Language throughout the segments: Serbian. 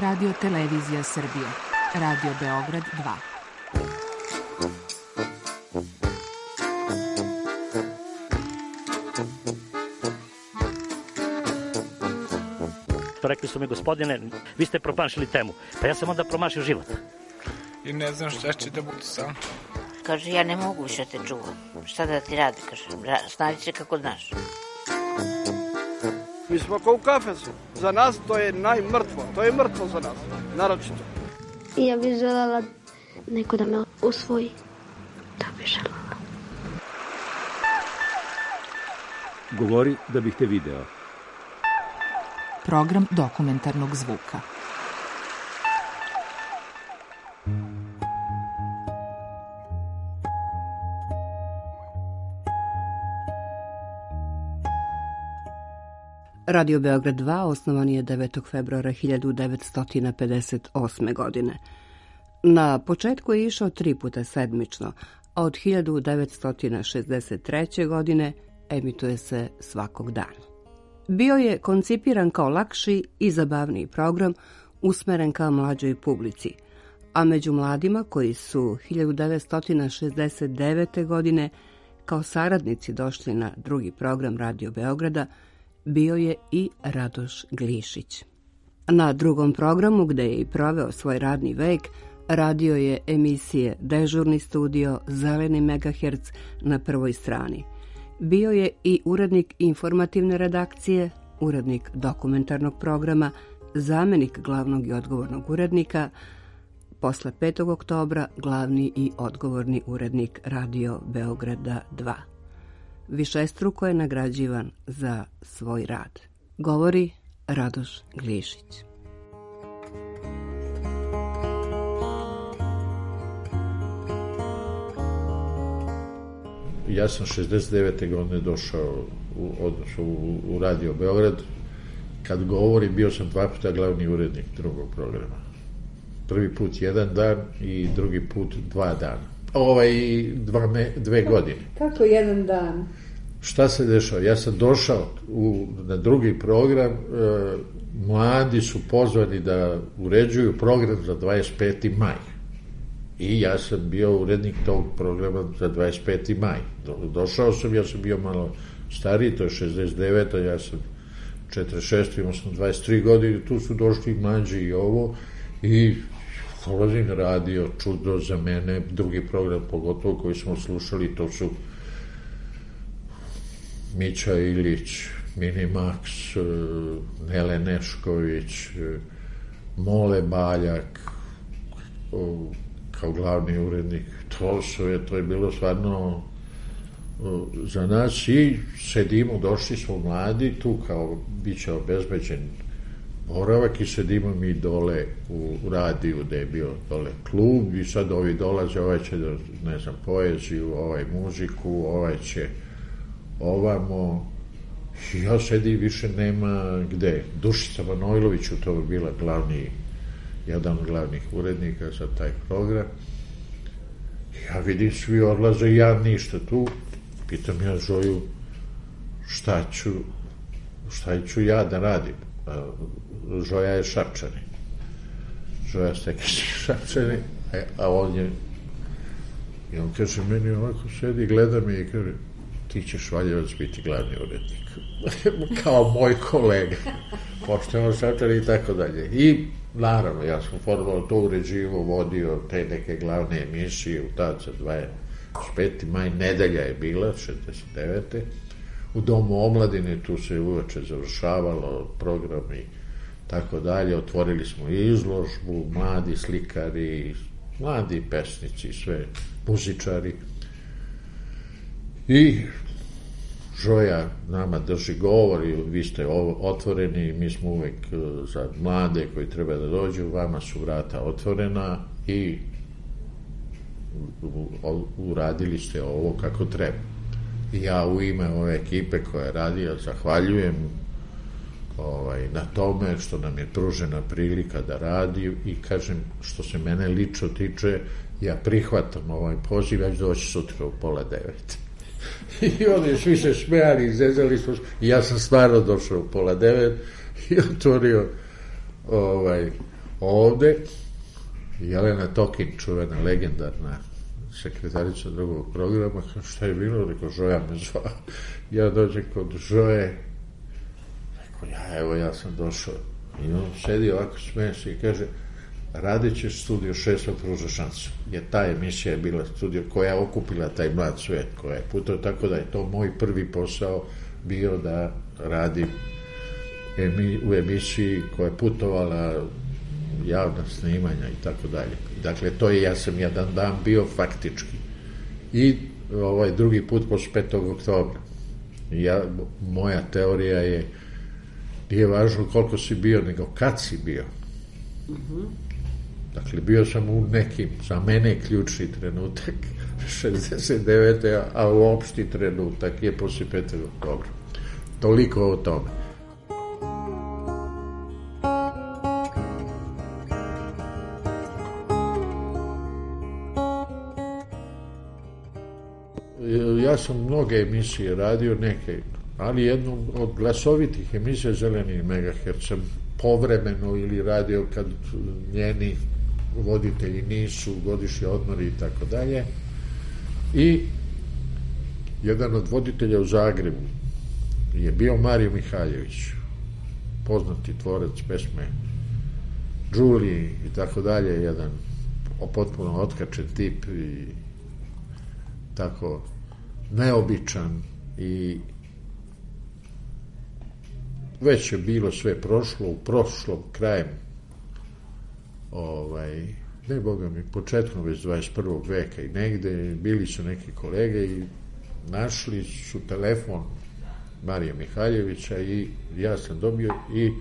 Radio Televizija Srbije, Radio Beograd 2. Rekli su mi, gospodine, vi ste promašili temu. Pa ja sam onda promašio život. I ne znam šta će da bude sam. Kaže, ja ne mogu više te čuvam. Šta da ti radi, kaže, snađi se kako znaš. Mi smo kao u kafesu. Za nas to je najmrtvo. To je mrtvo za nas, naročito. Ja bih želela neko da me usvoji. To bih želela. Govori da bih te video. Program dokumentarnog zvuka. Radio Beograd 2 osnovan je 9. februara 1958. godine. Na početku je išao 3 puta sedmično, a od 1963. godine emituje se svakog dana. Bio je koncipiran kao lakši i zabavniji program usmeren ka mlađoj publici, a među mladima koji su 1969. godine kao saradnici došli na drugi program Radio Beograda bio je i Radoš Glišić. Na drugom programu, gde je i proveo svoj radni vek, radio je emisije Dežurni studio, Zeleni megaherc na prvoj strani. Bio je i urednik informativne redakcije, urednik dokumentarnog programa, zamenik glavnog i odgovornog urednika, posle 5. oktobra glavni i odgovorni urednik Radio Beograda 2. Višestruko je nagrađivan za svoj rad. Govori Radoš Glišić. Ja sam 69. godine došao u Radio Beograd. Kad govorim, bio sam 2 puta glavni urednik drugog programa. Prvi put 1 dan i drugi put 2 dana. 2 godine. Kako 1 dan? Šta se dešava? Ja sam došao na drugi program, mladi su pozvani da uređuju program za 25. maj. I ja sam bio urednik tog programa za 25. maj. Došao sam, ja sam bio malo stariji, to je 69. Ja sam 46. imao sam 23 godine, tu su došli mlađi i ovo, i dolazim na radio, čudo za mene, drugi program pogotovo koji smo slušali, to su Mića Ilić, Minimax, Nele Nešković, Mole Baljak, kao glavni urednik. To je bilo stvarno za nas, i sedimo, došli smo mladi, tu kao bit će obezbeđen boravak, i sedimo mi dole u radiju gde je bio dole klub, i sad ovi dolaze, ovaj će da, ne znam, poeziju, ovaj muziku, ovaj će ovamo. Ja sedim, više nema gde. Dušica Manojlović u to bi bila jedan od glavnih urednika za taj program. Ja vidim, svi odlaze, ja ništa tu. Pitam ja Žoju šta ću ja da radim. Žoja je Šapčani. Žoja Stekić Šapčani, a on je, i on kaže meni, ovako sedi, gleda me i kaže, ti ćeš Valjevac biti glavni urednik. Kao moj kolega. Pošteno Šapčani i tako dalje. I naravno, ja sam formalno to uređivo, vodio te neke glavne emisije u tad za 25. maj, nedelja je bila, 69. U Domu omladine, tu se uveče završavalo program i tako dalje. Otvorili smo izložbu, mladi slikari, mladi pesnici, sve muzičari. I Žoja nama drži govor, i vi ste otvoreni, mi smo uvek za mlade koji treba da dođu, vama su vrata otvorena i uradili ste ovo kako treba. I ja u ime ove ekipe koja je radila zahvaljujem na tome što nam je pružena prilika da radi, i kažem, što se mene lično tiče, ja prihvatam ovaj poziv, ja ću doći sutra u 8:30. I oni svi se smejali, izrezali smo, i ja sam stvarno došao u 8:30 i otvorio ovde Jelena Tokin, čuvena, legendarna sekretarica drugog programa, šta je bilo, rekao, Žoja me zvao. Ja dođem kod Žoje, rekao, ja sam došao. I on sedi ovako, smeje se i kaže, radit ćeš Studio 6 pruža šansu. Jer ta emisija je bila studio koja je okupila taj mlad svet, koja je putao, tako da je to moj prvi posao bio da radim u emisiji koja je putovala javna snimanja i tako dalje. Dakle, to je, ja sam jedan dan bio faktički. I drugi put posle 5. oktobra. Moja teorija je, nije važno koliko si bio, nego kad si bio. Dakle, bio sam u nekim, za mene ključni trenutak 69. a uopšti trenutak je posle 5. oktobra. Toliko o tome. Ja sam mnoge emisije radio, neke, ali jednu od glasovitih emisija Zeleni megaherc sam povremeno ili radio kad njeni voditelji nisu, godišnji odmori i tako dalje. I jedan od voditelja u Zagrebu je bio Mario Mihaljević, poznati tvorac pesme Đuli i tako dalje, jedan potpuno otkačen tip i tako neobičan i već je bilo sve prošlo, u prošlom krajem ne boga mi, početkom već 21. veka i negde bili su neki kolege i našli su telefon Marija Mihaljevića i ja sam dobio i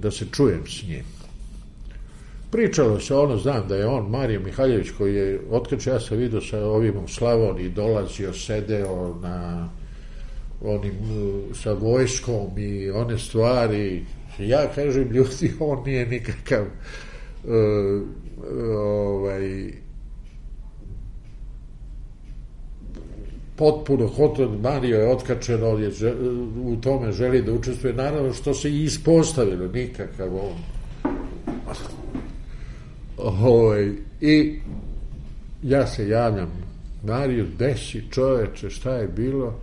da se čujem s njim. Pričalo se znam da je on, Marija Mihaljević, koji je, otkad ja sam vidio sa ovim u Slavoniji, dolazio, sedeo na onim, sa vojskom i one stvari, ja kažem, ljudi, on nije nikakav potpuno Mario je otkačen, on je u tome želi da učestvuje, naravno što se i ispostavilo, nikakav on. I ja se javljam Mariju, desi čoveče, šta je bilo?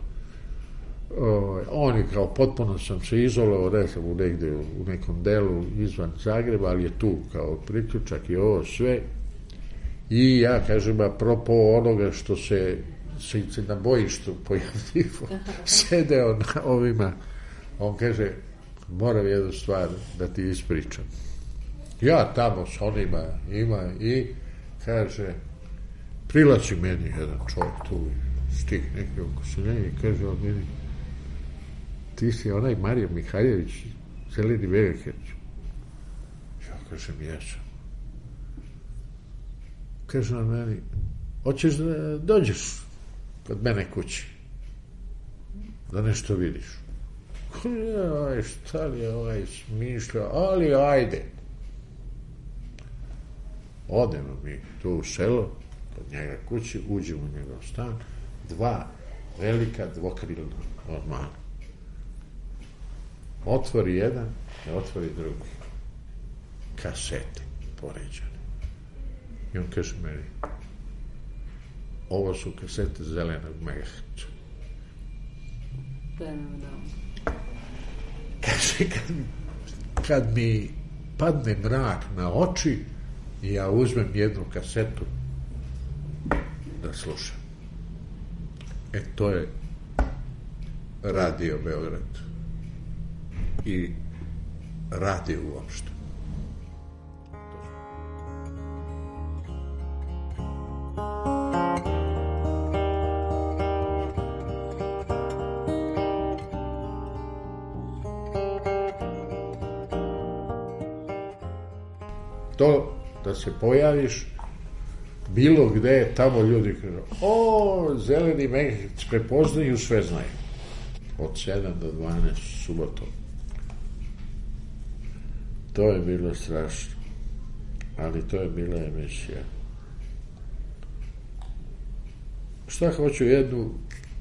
On je kao, potpuno sam se izolovao, recimo negde u nekom delu izvan Zagreba, ali je tu kao priključak i ovo sve. I ja kažem, apropo onoga što se na bojištu pojavljivo sedeo na ovima, on kaže, moram jednu stvar da ti ispričam. Ja tamo s onima ima i kaže, prilazi meni jedan čovjek tu, stih neki oko se i kaže on meni, ti si onaj Mario Mihaljević, Zeleni megaherc. Ja kažem, jesam. Kaže on meni, hoćeš da dođeš kod mene kući, da nešto vidiš. Šta li je smišlja, ali ajde. Odemo mi tu u selo, kod njega kući, uđemo u njegov stan, 2 velika dvokrilna ormana. Otvori jedan, ne otvori drugi. Kasete poređane. I on kaže meni, ovo su kasete Zelenog megaherca. Kaže, kad mi padne mrak na oči, i ja uzmem jednu kasetu da slušam. To je Radio Beograd i radio uopšte. To da se pojaviš bilo gde, tamo ljudi kažu, Zeleni megaherc prepoznaju, sve znaju. Od 7 do 12 subotom. To je bilo strašno. Ali to je bila emisija. Šta hoću, jednu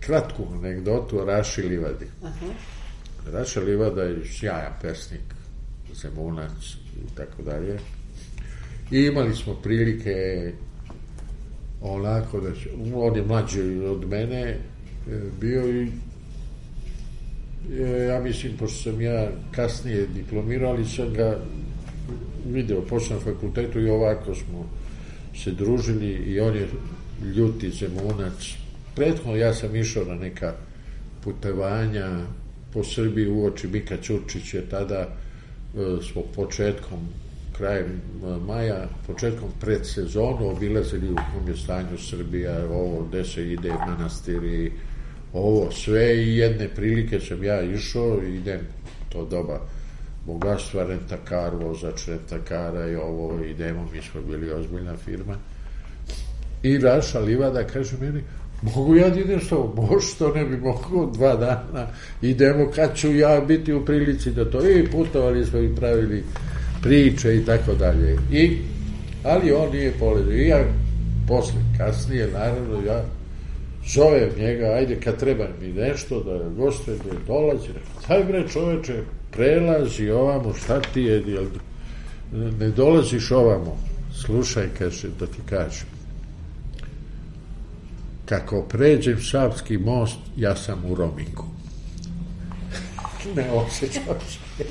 kratku anegdotu o Raši Livadi. Raša Livada je sjajan pesnik, Zemunac i tako dalje. I imali smo prilike onako da on je mlađi od mene bio i ja mislim, pošto sam ja kasnije diplomirao, ali sam ga video posle na fakultetu i ovako smo se družili i on je ljuti Zemunac. Prethodno ja sam išao na neka putovanja po Srbiji uoči Mika Ćurčića, tada smo krajem maja, početkom predsezonu obilazili u kom je stanju Srbija, ovo gde se ide, manastiri, ovo sve, i jedne prilike sam ja išao, idem to doba bogatstva, rentakar, vozač rentakara i ovo, idemo, mi smo bili ozbiljna firma. I Raša Livada kaže meni, mogu ja da idem s tobom? Može, to ne bi mogu, 2 dana, idemo, kad ću ja biti u prilici da to, i putovali smo i pravili priče i tako dalje. Ali on nije polazio. I ja posle, kasnije, naravno, ja zovem njega, ajde, kad treba mi nešto, da gostujem, da dolazi, daj bre čoveče, prelazi ovamo, šta ti je, ne dolaziš ovamo, slušaj, kaže, da ti kažem, kako pređem Savski most, ja sam u romingu. Ne osjećam se.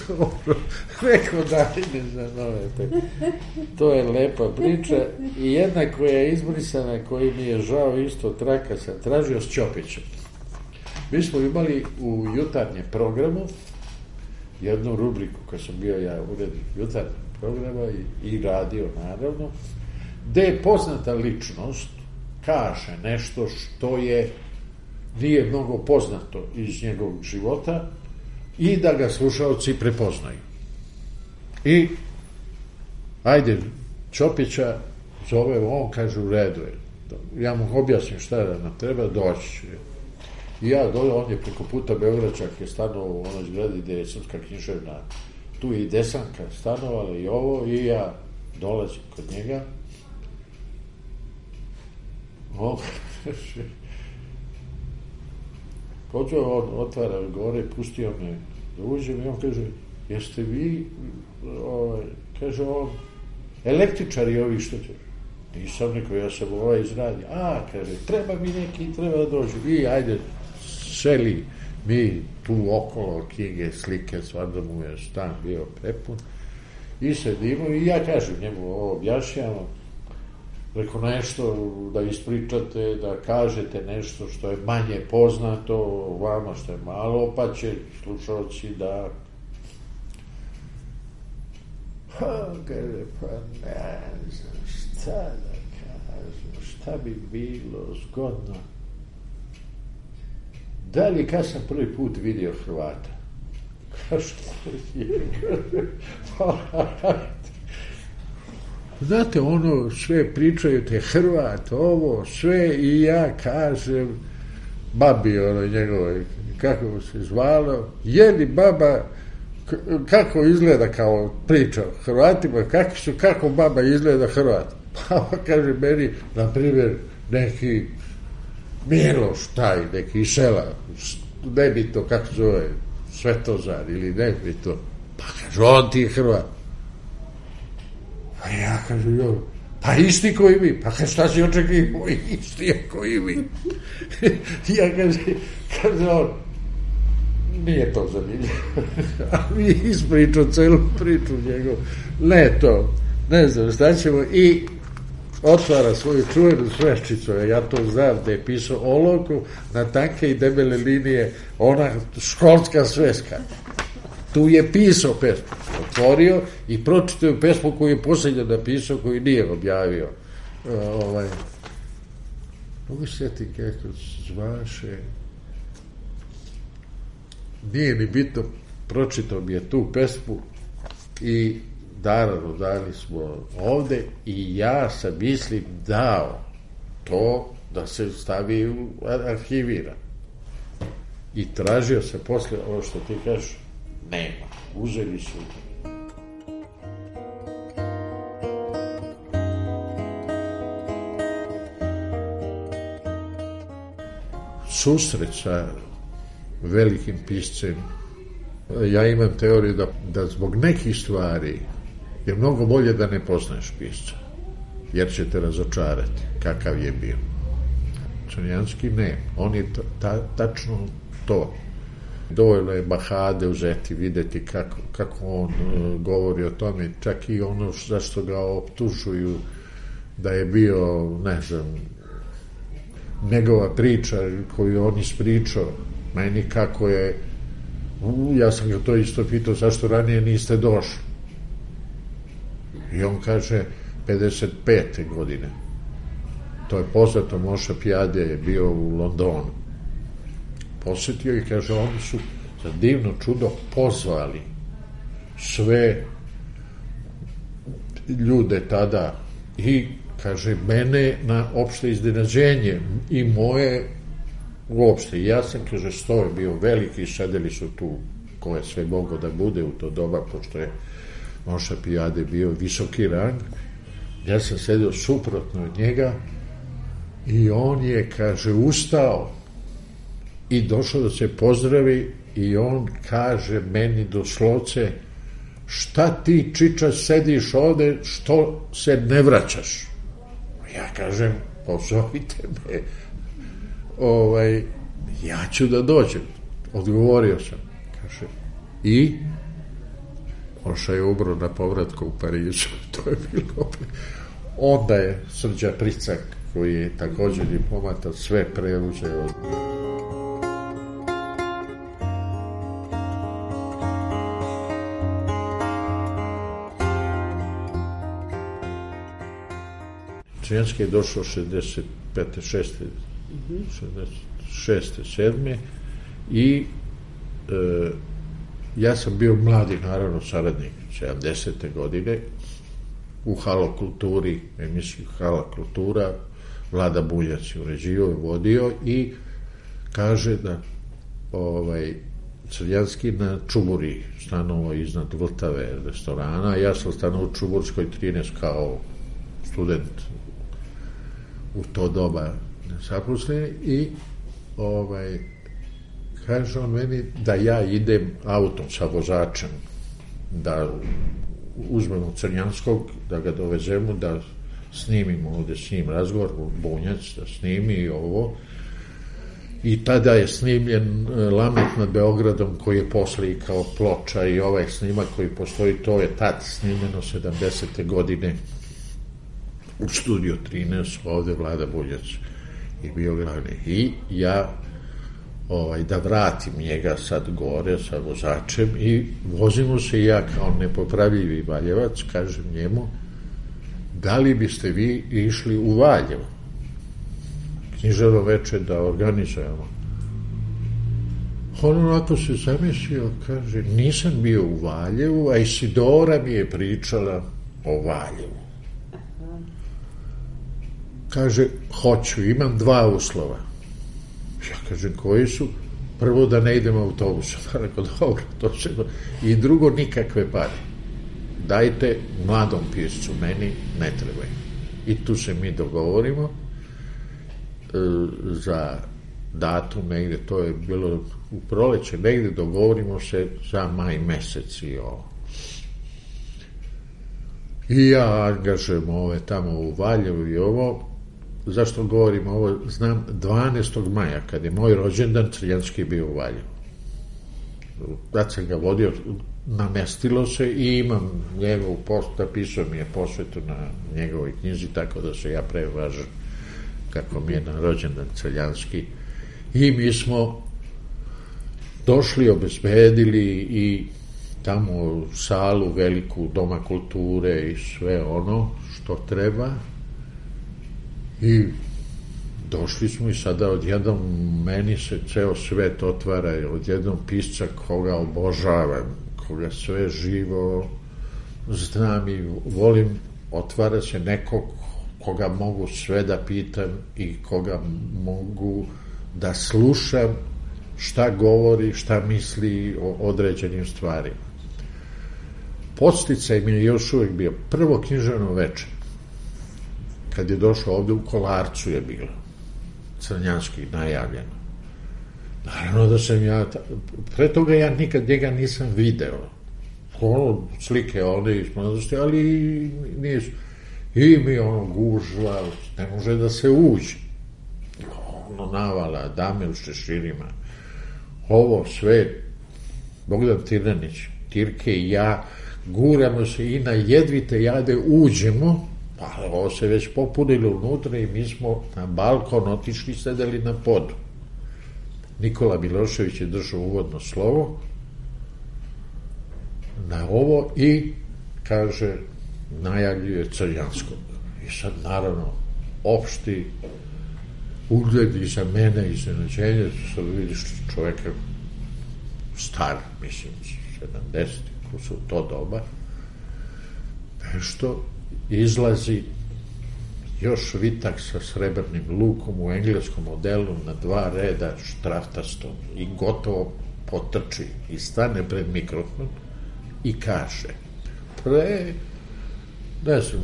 Dobro. Rekao da ne zanovete. To je lepa priča. I jedna koja je izbrisana, koji mi je žao isto, traka sam tražio s Ćopićem. Mi smo imali u jutarnjem programu jednu rubriku, kad sam bio ja urednik jutarnjeg programa i radio, naravno, gde je poznata ličnost kaže nešto što nije mnogo poznato iz njegovog života i da ga slušalci prepoznaju. I ajde, Ćopića zove, on kaže u redu je. Ja mu objasnim šta da nam treba, doći će. I ja dole, on je preko puta Beogračak je stanovao u onoj zgradi gde je Srpska književna, tu je i Desanka stanovala i ovo, i ja dolazim kod njega. On kaže, počeo on, otvara gore, pustio me da uđem i on kaže, jeste vi, kaže on, električari ovi što će? Nisam neko, ja sam izradio. Kaže, treba mi neki, treba da dođu. I ajde, seli mi tu okolo knjige, slike, stvarno mu je stan bio prepun. I sedimo i ja kažem njemu, ovo objašnjamo, reko nešto da ispričate, da kažete nešto što je manje poznato vama, što je malo, pa će slušalci da kaže, pa ne znam šta da kažem, šta bi bilo zgodno. Da li kad sam prvi put vidio Hrvata? Što je? Znate, ono, sve pričaju te Hrvat, ovo, sve, i ja kažem babi, ono njegovoj, kako se zvalo, jeli baba, kako izgleda kao priča o Hrvatima, kako baba izgleda Hrvat? Pa kaže meni, na primjer, neki Miloš taj, neki sela, nebito, kako zove, Svetozar ili nebito, pa kaže, on ti je Hrvat. Pa ja kažem, pa isti koji mi, pa šta si očekivao, isti je koji mi. Ja kaže on, nije to zanimljivo. A mi ispričao celu priču njegov, ne znam šta ćemo, i otvara svoju čuvenu sveščicu, ja to znam da je pisao olovku na tanke i debele linije, ona školska sveska. Tu je pisao pesmu, otvorio i pročitao pesmu koju je posljednje napisao, koju nije objavio. Mogu se sjeti kako zvaše, nije ni bitno, pročitao mi je tu pesmu i naravno dali smo ovde i ja sam, mislim, dao to da se stavi u arhivira. I tražio se posle, ovo što ti kažeš, nema, uzeli su. Susret sa velikim piscem Ja imam teoriju da zbog nekih stvari je mnogo bolje da ne poznaješ pisca, jer će te razočarati kakav je bio. Crnjanski ne, on je tačno to. Dovoljno je Bahade uzeti, videti kako on govori o tome, čak i ono zašto ga optužuju da je bio, ne znam, njegova priča koju on ispričao, meni kako je, ja sam ga to isto pitao, zašto ranije niste došli? I on kaže, 55. godine. To je poznato, Moša Pijade je bio u Londonu. Posetio i kaže, oni su za divno čudo pozvali sve ljude tada i, kaže, mene na opšte iznenađenje i moje uopšte. Ja sam, kaže, sto je bio veliki, sedeli su tu ko je sve moglo da bude u to doba, pošto je Moša Pijade bio visoki rang. Ja sam sedio suprotno od njega i on je, kaže, ustao i došao da se pozdravi i on kaže meni doslovce, šta ti, čiča, sediš ovde, što se ne vraćaš? Ja kažem, pozovite me, ja ću da dođem. Odgovorio sam. Kaže, i Moša je umro na povratku u Parizu. To je bilo. Onda je Srđa Pricak, koji je također diplomata, sve preuzeo. Crnjanski je došao 65. 66. 7. i ja sam bio mladi, naravno, saradnik 70. godine u Halokulturi, emisiju Halokultura, Vlada Buljac je uređivao i vodio i kaže da Crnjanski na Čuburi stanovo iznad Vltave restorana, ja sam stanovo u Čuburskoj 13 kao student u to doba nezaposleni i kaže on meni da ja idem autom sa vozačem, da uzmemo Crnjanskog, da ga dovezemo, da snimimo ovde s njim razgovor, Bunjac, da snimi ovo. I tada je snimljen Lamet nad Beogradom, koji je posle i kao ploča i ovaj snimak koji postoji, to je tad snimljeno 70. godine u Studio 13, ovde Vlada Buljac i bio glavni. I ja da vratim njega sad gore sa vozačem i vozimo se i ja kao nepopravljivi Valjevac, kažem njemu, da li biste vi išli u Valjevo književno veče da organizujemo? On onako se zamislio, kaže, nisam bio u Valjevu, a Isidora mi je pričala o Valjevu. Kaže, hoću, imam 2 uslova. Ja kažem, koji su? Prvo, da ne idem autobusom. Rekao, dobro, to se... I drugo, nikakve pare. Dajte mladom piscu, meni ne trebaju. I tu se mi dogovorimo za datum negde, to je bilo u proleće, negde dogovorimo se za maj mesec i ovo. I ja angažujem ove tamo u Valjevu i ovo. Zašto govorim ovo? Znam, 12. maja, kad je moj rođendan, Crnjanski bio u Valjevu. Tad sam ga vodio, namestilo se i imam njegovu napisao mi je posvetu na njegovoj knjizi, tako da se ja prevažam kako mi je na rođendan Crnjanski. I mi smo došli, obezbedili i tamo salu veliku Doma kulture i sve ono što treba. I došli smo i sada odjednom meni se ceo svet otvara, odjednom pisca koga obožavam, koga sve živo znam i volim, otvara se nekog koga mogu sve da pitam i koga mogu da slušam šta govori, šta misli o određenim stvarima. Podsticaj mi je još uvek bio prvo književno veče. Kad je došao ovde, u Kolarcu je bilo Crnjanski najavljeno. Naravno naravno da sam ja, pre toga ja nikad njega nisam video, slike one iz mladosti, ali nisu. I mi gužva, ne može da se uđe. Navala, dame u šeširima, ovo sve, Bogdan Tirnanić, Tirke i ja, guramo se i na jedvite jade uđemo, pa ovo se već popunilo unutra i mi smo na balkon otišli, sedeli na podu. Nikola Milošević je držao uvodno slovo na ovo i kaže, najavljuje Crnjanskog. I sad, naravno, opšti ugled i za mene, iznenađenje, sad vidiš čoveka star, mislim, 70, ko su to doba, nešto izlazi još vitak sa srebrnim lukom u engleskom modelu na 2 reda štraftastom i gotovo potrči i stane pred mikrofon i kaže pre, ne znam,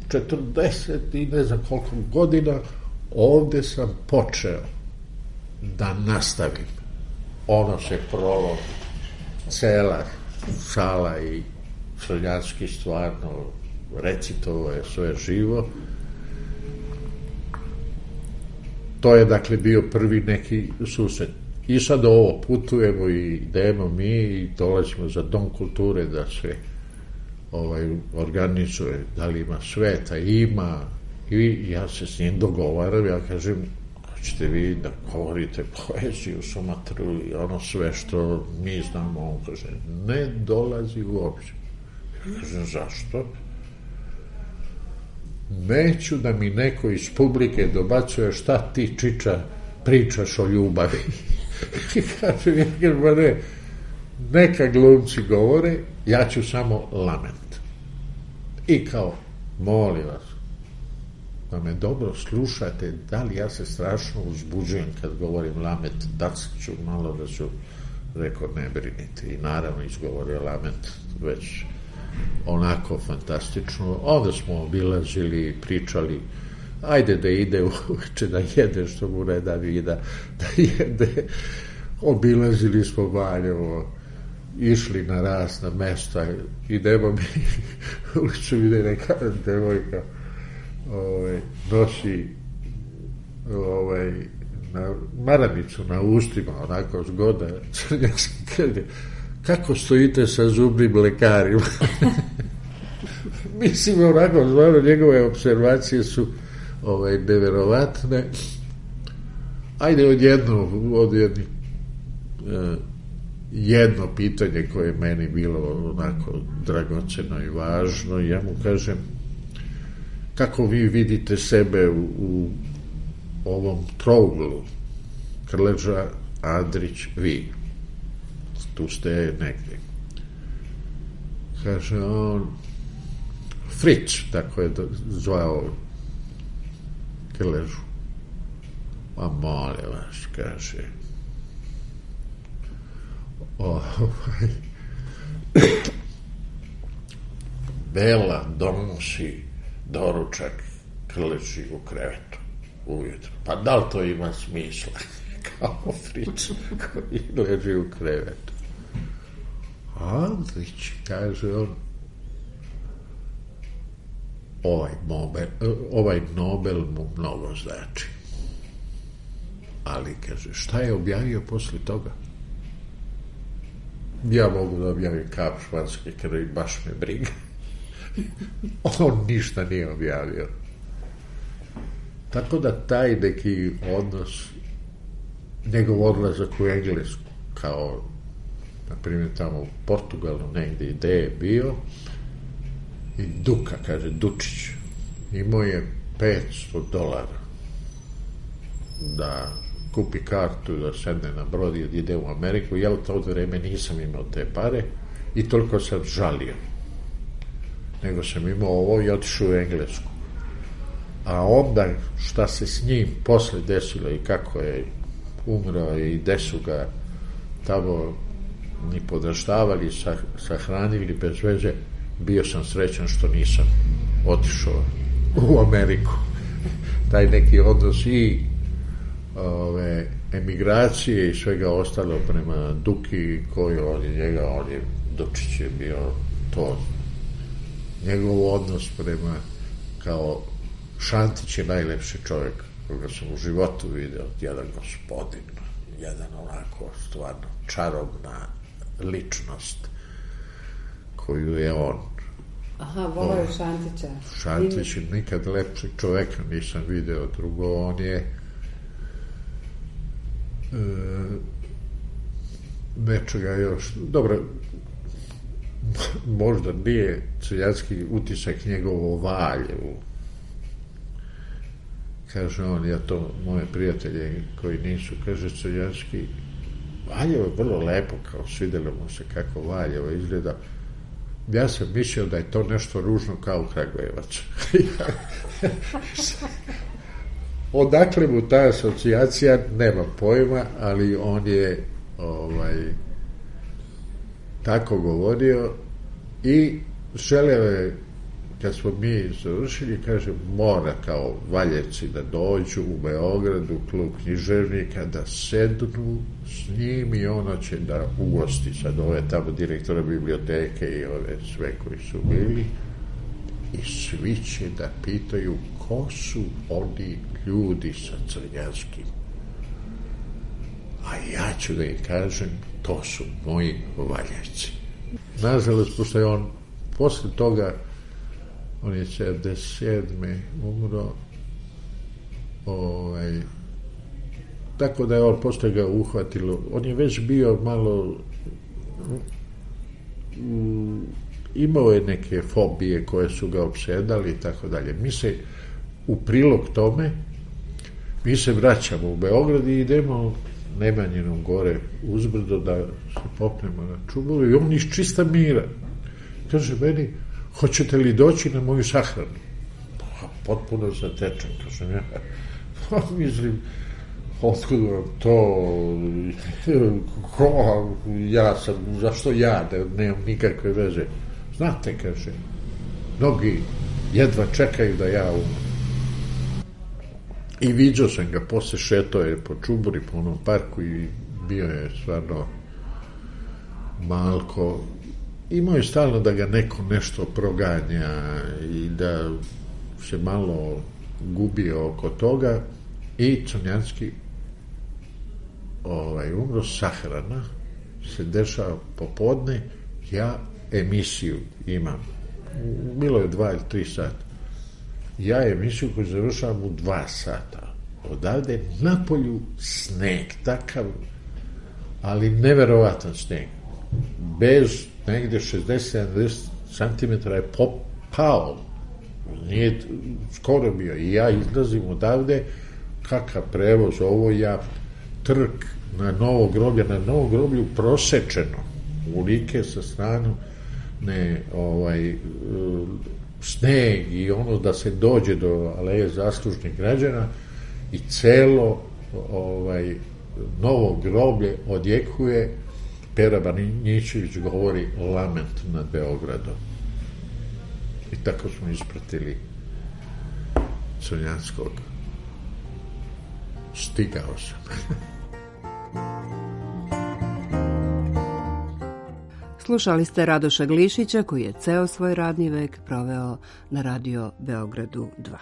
40 i ne znam koliko godina ovde sam počeo da nastavim. Ono se prolo cela sala i Crnjanski stvarno recitovao je sve živo. To je dakle bio prvi neki susret. I sad ovo putujemo i idemo mi i dolazimo za Dom kulture da se organizuje, da li ima sveta, ima, i ja se s njim dogovaram, ja kažem, hoćete vi da govorite poeziju, Sumatru i ono sve što mi znamo, on kaže, ne dolazi uopće. Ja kažem, zašto? Neću da mi neko iz publike dobacuje šta ti, čiča, pričaš o ljubavi. I kažem, ja kažem, ne, neka glumci govore, ja ću samo lament. I kao, molim vas, da me dobro slušate, da li ja se strašno uzbuđujem kad govorim lament, da ću malo da ću, rekao, ne brinite. I naravno izgovorio lament već onako fantastično. Onda smo obilazili, pričali, ajde da ide uveče da jede što mu ne da vida, da jede. Obilazili smo Valjevo, išli na razna mesta, idemo mi ulicu, ide neka devojka, nosi na maramicu na ustima, onako zgoda, Crnjanski kaže, kako stojite sa zubnim lekarima? Mislim, onako, zvano, njegove observacije su neverovatne. Ajde jedno pitanje koje je meni bilo onako dragoceno i važno, ja mu kažem, kako vi vidite sebe u ovom trouglu, Krleža, Andrić, vi, tu ste negde. Kaže on, Fritz, tako je zvao Krležu. A molim vas, kaže, Bela donosi doručak Krleži u krevetu ujutro. Pa da li to ima smisla? Kao Fritz koji leži u krevetu. Andrić, kaže on, ovaj Nobel mu mnogo znači. Ali, kaže, šta je objavio posle toga? Ja mogu da objavim Kap španske krvi, baš me briga. On ništa nije objavio. Tako da taj neki odnos, njegov odlazak u Englesku, kao, na primjer, tamo u Portugalu negdje ideje je bio, i Duka, kaže, Dučić, imao je $500 da kupi kartu, da sedne na brod i ide u Ameriku. Ja u to vreme nisam imao te pare i toliko sam žalio. Nego sam imao ovo i otišao u Englesku. A onda šta se s njim posle desilo i kako je umro i gde su ga tamo ni podraštavali, sahranili bez veze, bio sam srećan što nisam otišao u Ameriku. Taj neki odnos i emigracije i svega ostalo prema Duki, koji on je Dučić je bio to. Njegov odnos prema, kao Šantić je najlepši čovjek koga sam u životu video, jedan gospodin, jedan onako stvarno čarobna ličnost koju je on. Aha, volao je Šantića. Šantić, nikad lepšeg čoveka nisam video. Drugo, on je nečega još, dobro, možda nije Crnjanski utisak njegovo Valjevu. Kaže on, ja to, moje prijatelje koji nisu, kaže Crnjanski, Valjevo je vrlo lepo, kao svidjelo mu se kako Valjevo izgleda. Ja sam mislio da je to nešto ružno kao Kragujevac. Odakle mu ta asocijacija, nema pojma, ali on je tako govorio i želeo je, kad smo mi završili, kaže, mora kao Valjevci da dođu u Beogradu, klub književnika, da sednu s njim i ono će da ugosti sad ove tamo direktora biblioteke i ove sve koji su bili i svi će da pitaju ko su oni ljudi sa Crnjanskim. A ja ću da im kažem, to su moji Valjevci. Nažalost, pošto je on posle toga, on je 77. umro, tako da je on posle ga uhvatilo. On je već bio malo, imao je neke fobije koje su ga opsedali i tako dalje. Mi se, u prilog tome, mi se vraćamo u Beograd i idemo Nemanjinom gore uzbrdo da se popnemo na čubovi i on iz čista mira kaže meni, hoćete li doći na moju sahranu? Pa, potpuno zatečen, kažem ja. Pa, mislim, otkud vam to, ko, ja sam, zašto ja, da nemam nikakve veze. Znate, kaže, mnogi jedva čekaju da ja umem. I viđao sam ga, posle šetao je po Čuburi, po onom parku i bio je stvarno malko. Imao je stalno da ga neko nešto proganja i da se malo gubio oko toga i Crnjanski umro, sahrana se dešava popodne, ja emisiju imam, bilo je 2 ili 3 sata, ja emisiju koju završavam u 2 sata, odavde napolju sneg, takav, ali neverovatan sneg, bez negde 60-70 cm je pao, nije skoro bio, i ja izlazim odavde, kakav prevoz, ovo ja trk na Novo groblju prosečeno, u like sa stranu, sneg i ono da se dođe do aleje zaslužnih građana i celo Novo groblje odjekuje. Pera Banjićević govori lament nad Beogradom. I tako smo ispratili Crnjanskog. Stigao sam. Slušali ste Radoša Glišića, koji je ceo svoj radni vek proveo na Radio Beogradu 2.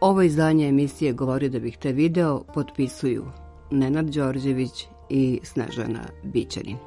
Ovo izdanje emisije Govori da bih te video potpisuju Nenad Đorđević i Snežana Bićanin.